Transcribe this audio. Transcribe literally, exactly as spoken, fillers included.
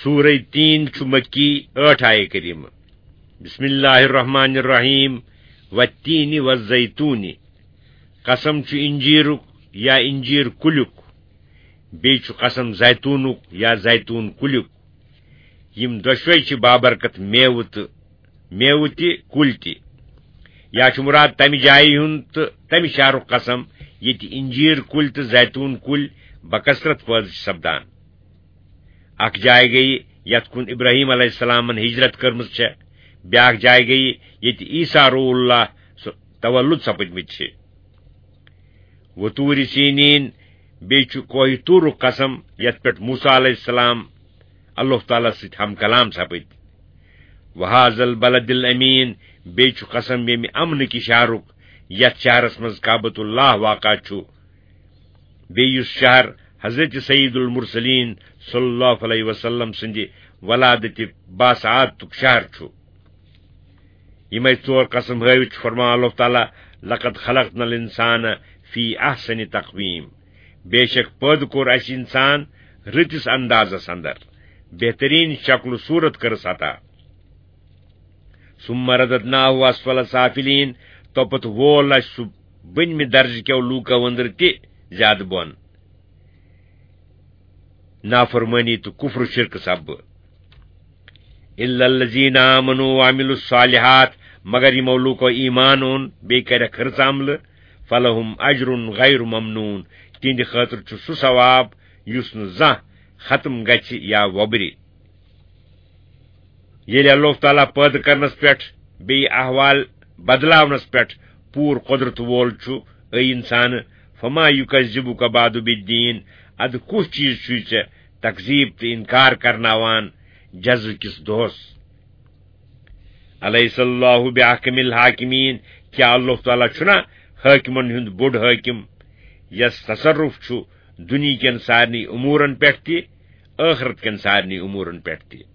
سورہ تین چھُ مکی، ٲٹھ آیہِ کریمہ۔ بسم اللہ الرحمن الرحیم۔ والتین والزیتون۔ قسم چھُ انجیرُک یا انجیر کُلیُک، بیٚیہِ چھُ قسم زیتونُک یا زیتون کُلیُک۔ یِم دۄشوے چھِ بابرکت میوٕ تہٕ میوٕ تہِ، کُلۍ تہِ۔ یا چھُ مُراد تَمہِ جایہِ ہُنٛد تہٕ تَمہِ شہرُک قسم، ییٚتہِ اِنجیٖر کُلۍ تہٕ زیتوٗن کُلۍ بکثرت پٲدٕ چھِ سپدان۔ اکھ جاے گٔیہِ یَتھ کُن ابراہیم علیہ السلامن ہجرت کٔرمٕژ چھےٚ، بیٛاکھ جاے گٔیہِ ییٚتہِ عیسیٰ روح اللہ سُہ تولُد سپٕدمٕتۍ چھِ۔ وطور سینین، بیٚیہِ چھُ کوہ طورُک قسم، یَتھ پٮ۪ٹھ موسیٰ علیہ السلام اللہ تعالیٰ سۭتۍ ہم کلام سپٕدۍ۔ وہذا البلد الامین، بیٚیہِ چھُ قسم ییٚمہِ امنہٕ کہِ شہرُک، یَتھ شہرس منٛز کعبۃ اللہ واقع چھُ، بیٚیہِ یُس شہر حضرت سید المرسلین صلی اللہ علیہ وسلم سٕنٛدِ ولادتِ باسعادتُک شہر چھُ۔ یِمے ژور قسم ہٲوِتھ چھُ فرمان اللہ تعالیٰ، لقد خلقنا الانسان فی احسن تقویم، بے شک پٲدٕ کوٚر اَسہِ انسان رٕتِس اندازس اندر، بہترین شکل و صورت کٔرٕس عطا۔ ثم رددناه اسفل سافلین، توپتہٕ وول اَسہِ سُہ بٔنمہِ درجہٕ کیو لوٗکو أنٛدرٕ تہِ زیادٕ بۄن، نافرمٲنی تہٕ کفر و شرکہٕ سببہٕ۔ الا الذین آمنوا وعملوا الصالحات، مگر یِمو لوٗکو ایمان اوٚن بیٚیہِ کَرٮ۪کھ رٕژ عملہٕ، فلہم اجر غیر ممنون، تِہنٛدِ خٲطرٕ چھُ سُہ ثواب یُس نہٕ زانٛہہ ختم گژھِ یا وۄبرِ۔ ییٚلہِ اللہ تعالیٰ پٲدٕ کرنس پٮ۪ٹھ بیٚیہِ احوال بدلاونس پٮ۪ٹھ پوٗرٕ قۄدرت وول چھُ، اے انسان، فما یکذبک بعد بالدین، ادٕ کُس چیٖز چھُے ژےٚ تکذیب تہٕ انکار کرناوان جزا کِس دۄہس؟ الیس اللہ باحکم الحاکمین، کیٛاہ اللہ تعالیٰ چھُنا حٲکمن ہُنٛد بوٚڑ حٲکم، یس تصرف چھُ دُنیہکٮ۪ن سارنٕے امورن پٮ۪ٹھ تہِ، ٲخرت کٮ۪ن سارنٕے امورن پٮ۪ٹھ تہِ؟